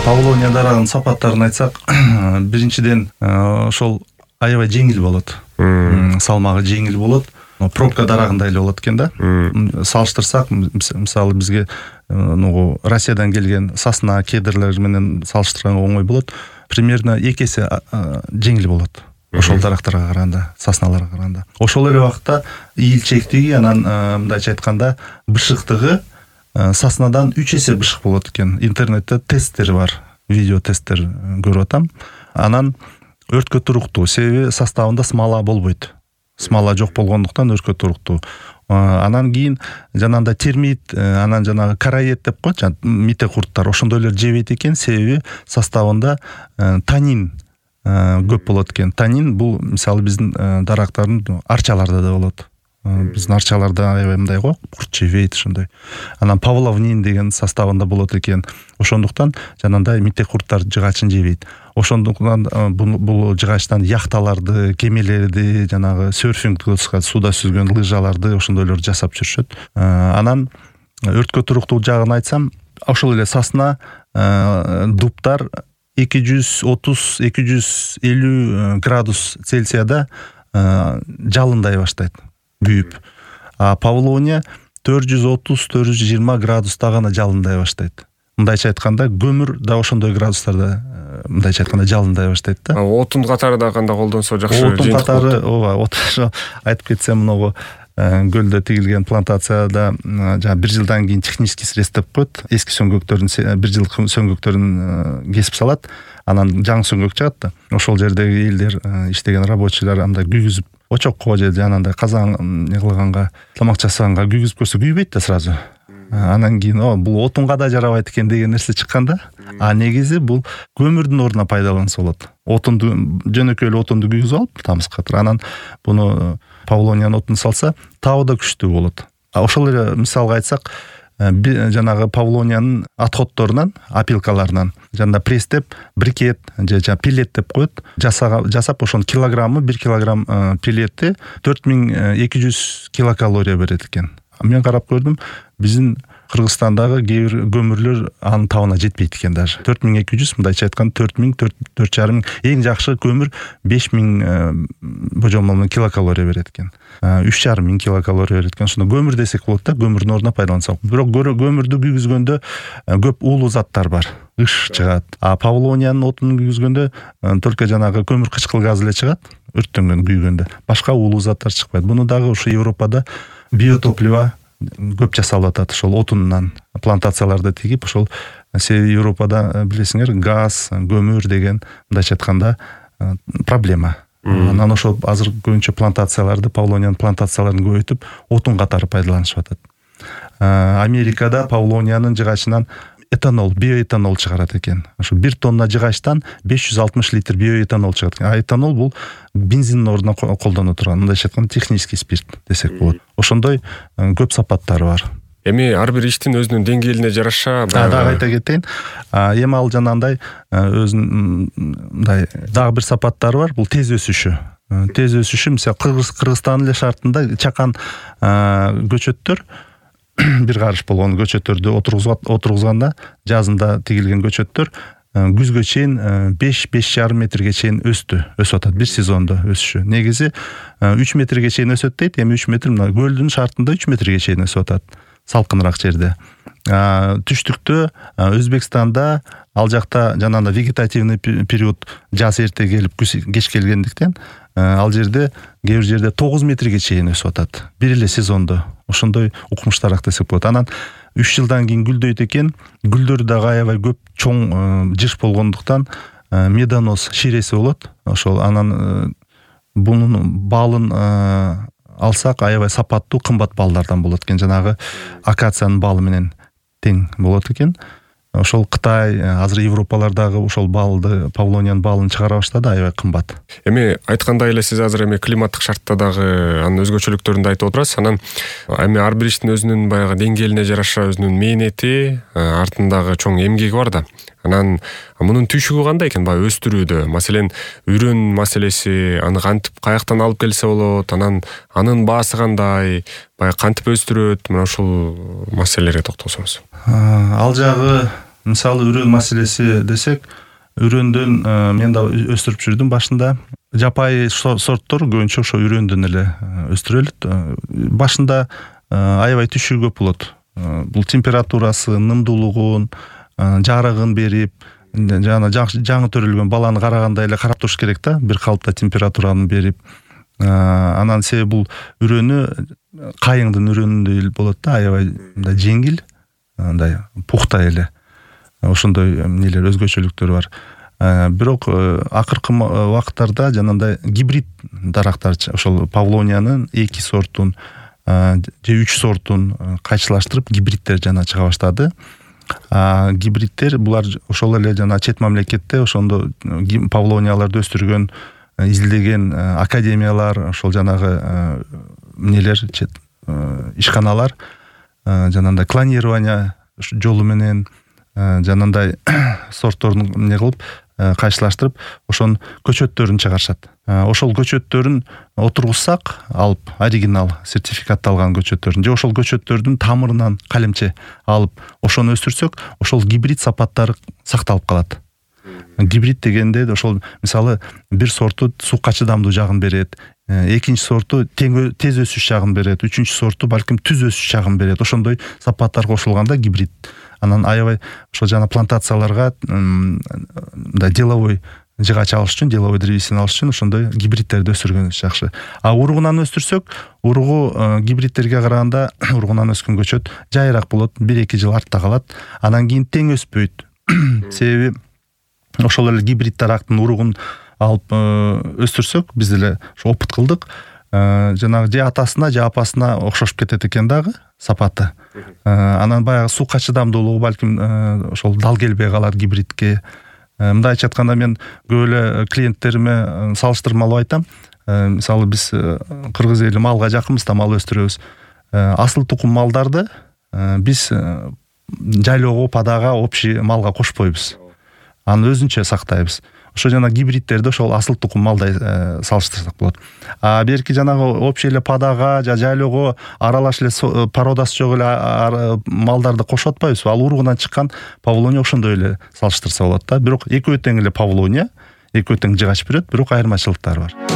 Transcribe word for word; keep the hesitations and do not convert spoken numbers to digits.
Павлония дарагынын сапаттарын айтсак, биринчиден ошол аябай жеңил болот. Салмагы жеңил болот. Пробка дарагындай эле болот экен да. Салыштырсак, мисалы бизге нугу Россиядан келген сосна, кедрлер менен салыштырганга оңой болот. Примерно эки эсе жеңил болот. Ошол дарактарга караганда, сосналарга караганда. Ошол эле убакта ийилчектиги, анан мындайча айтканда, бышыктыгы соснадан үч эсе бышык болот экен. Интернетте тесттер бар, видео тесттер көрүп атам. Анан өрткө туруктуу, себеби составында смола болбойт. Смола жок болгондуктан өрткө туруктуу. Анан кийин жанагындай термит, анан жанагы караед деп коет, жана мите курттар, ошондойлор жебейт экен, себеби составында танин көп болот экен. Танин бул мисалы биздин дарактардын арчаларда да болот. Биздин арчаларда аябай мындай го, курт жебейт ошондой. Анан павловнин деген составында болот экен. Ошондуктан жанагындай мите курттар жыгачын жебейт. Ошондуктан бул жыгачтан яхталарды, кемелерди, жанагы серфинг, сууда сүзгөн лыжаларды ошондойлор жасап жүрүшөт. Анан өрткө туруктуу жагын айтсам, ошол эле сосна, дубтар эки жүз отуз — эки жүз элүү градус Цельсияда жалындай баштайт, күйүп. А Павлония төрт жүз отуз — төрт жүз жыйырма градуста гана жалындай баштайт. Мындайча айтканда, көмүр да ошондой градустарда мындайча айтканда жалындай баштайт да. Отун катары да кандай колдонсо жакшы. Отун катары, ооба, ошо айтып кетсем, могу көлдө тигилген плантацияда жана бир жылдан кийин технический срез деп коет. Эски сөңгөктөрдүн, бир жылдык сөңгөктөрүн кесип салат, анан жаңы сөңгөк чыгат да. Ошол жердеги элдер, иштеген рабочийлар андай күйгүзүп, очокко же жанагындай казан не кылганга, тамак жасаганга күйгүзүп көрсө күйбөйт да сразу. Анан кийин бул отунга да жарабайт экен деген нерсе чыкканда, а негизи бул көмүрдүн ордуна пайдаланса болот. Отунду, жөнөкөй эле отунду күйгүзүп алып, тамыз катыр, анан буну Павлониянын отун салса, табы да күчтүү болот. Ошол эле мисалга айтсак, жанагы Павлониянын отходторунан, опилкаларынан, жана пресстеп, брикет же жана пилет деп коет, жасап ошонун килограммы, бир килограмм пилетти төрт миң эки жүз килокалория берет экен. Мен карап көрдүм, биздин Кыргызстандагы кээ бир көмүрлөр анын табына жетпейт экен даже. төрт миң эки жүз, мындайча айтканда төрт миң, төрт жарым миң. Эң жакшы көмүр беш миң божомолдон килокалория берет экен. үч жарым миң килокалория берет экен. Ошондо көмүр десек болот да, көмүрдүн ордуна пайдалансак. Бирок көмүрдү күйгүзгөндө көп уулуу заттар бар. Ыш чыгат. А Павлониянын отунун күйгүзгөндө только жанагы көмүр кычкыл газ эле чыгат, өрттөнгөн күйгөндө. Башка уулуу заттар чыкпайт. Буну дагы ушу Европада биотопливо көп жасалып атат, ошол отундан плантацияларды тигип, ошол себеби Европада билесиңер, газ, көмүр деген мындайча айтканда проблема. Анан ошол азыр көбүнчө плантацияларды, Павлониянын плантацияларын көбөйтүп, отун катары пайдаланышып атат. Америкада Павлониянын жыгачынан этанол, биоэтанол чыгарат экен. Ошо бир тонна жыгачтан беш жүз алтымыш литр биоэтанол чыгат экен. А этанол бул бензиндин ордуна колдонулуп турган, мындайча айтканда технический спирт десек болот. Ошондой көп сапаттары бар. Эми ар бир иштин өзүнүн деңгээлине жараша дагы айта кетейин. Эми ал жанагындай өзүнүн мындай дагы бир сапаттары бар. Бул тез өсүшү. Тез өсүшү, мисалы Кыргызстан эле шартында чакан көчөттөр, бир карыш болгон көчөттөрдү отургузганда, жазында тигилген көчөттөр күзгө чейин беш — беш жарым метрге чейин өстү, өсүп атат бир сезондо өсүшү. Негизи үч метрге чейин өсөт дейт, эми үч метр, мына көлдүн шартында үч метрге чейин өсүп атат, салкыныраак жерде. Түштүктө, Өзбекстанда, ал жакта жанагындай вегетативный период жаз эрте келип, күз кеч келгендиктен, ал жерде кээ бир жерде тогуз метрге чейин өсүп атат, бир эле сезондо. Ошондой укмуштуураак десек болот. Анан үч жылдан кийин гүлдөйт экен. Гүлдөрү дагы аябай көп, чоң жыш болгондуктан медоноз ширеси болот. Ошол анан бунун балын алсак аябай сапаттуу, кымбат балдардан болот экен. Жанагы акациянын балы менен тең болот экен. Ошол Кытай, азыр Европалардагы ошол балды, Павлониянын балын чыгара баштады, аябай кымбат. Эми айткандай эле сиз азыр эми климаттык шартта дагы анын өзгөчөлүктөрүн да айтып отурасыз. Анан эми ар бир иштин өзүнүн баягы деңгээлине жараша өзүнүн мээнети, артындагы чоң эмгеги бар да. Анан мунун түйшүгү кандай экен баягы өстүрүүдө? Маселен, үрөн маселеси, аны кантип каяктан алып келсе болот? Анан анын баасы кандай? Баягы кантип өстүрөт? Мына ушул маселелерге токтолсоңуз. Ал жагы Мисалы үрөн маселеси десек, үрөндөн мен да өстүрүп жүрдүм башында. Жапайы сорттор көбүнчө ошо үрөндөн эле өстүрүлөт. Башында аябай түшүү көп болот. Бул температурасы, нымдуулугун, жарыгын берип, жана жаңы төрөлгөн баланы карагандай эле карап туруш керек да, бир калыпта температураны берип. Анан себеби бул үрөнү кайыңдын үрөнүндөй болот да, аябай мындай жеңил, мындай пухта эле. Ошондой эмнелер, өзгөчөлүктөр бар. Бирок акыркы убакыттарда жанагындай гибрид дарактар, ошол павлониянын эки сортун же үч сортун кайчылаштырып гибридтер жана чыга баштады. Гибридтер булар ошол эле жана чет мамлекетте ошондо павлонияларды өстүргөн изилдеген академиялар, ошол жанагы эмнелер, ишканалар жанагындай клонирование жолу менен жанагындай сортторун эмне кылып кайчылаштырып ошонун көчөттөрүн чыгарышат. Ошол көчөттөрүн отургузсак, алып оригинал сертификатталган көчөттөрүн же ошол көчөттөрдүн тамырынан калемче алып ошону өстүрсөк, ошол гибрид сапаттары сакталып калат. Гибрид дегенде ошол мисалы бир сорту суукка чыдамдуу жагын берет, экинчи сорту тез өсүш жагын берет, үчүнчү сорту балким түз өсүш жагын берет. Ошондой сапаттар кошулганда гибрид. Анан аябай ошол жана плантацияларга мындай деловой жыгач алыш үчүн, деловой древесина алыш үчүн ошондой гибридтерди өстүргөн жакшы. А ургунан өстүрсөк, ургу гибридтерге караганда ургунан өскөн көчөт жайыраак болот, бир-эки жыл артта калат. Анан кийин тең өспөйт. Себеби ошол эле гибрид дарактын ургун алып өстүрсөк, биз деле ошо опыт кылдык. Жанагы же атасына, же апасына окшошуп кетет экен дагы сапаты. Анан баягы суукка чыдамдуулугу балким ошол дал келбей калат гибридке. Мындайча айтканда мен көп эле клиенттериме салыштырмалуу айтам. Мисалы биз кыргыз эли малга жакынбыз да, мал өстүрөбүз. Асыл тукум малдарды биз жайлоого, падага, общий малга кошпойбуз. Аны өзүнчө сактайбыз. Ошо жана гибридтерди ошол асыл тукум малдай салыштырсак болот. А берки жанагы общий эле падага, же жайлоого аралаш эле породасы жок эле малдарды кошуп атпайбызбы? Ал ургунан чыккан павлония ошондой эле салыштырса болот да. Бирок экөө тең эле павлония, экөө тең жыгач берет, бирок айырмачылыктары бар.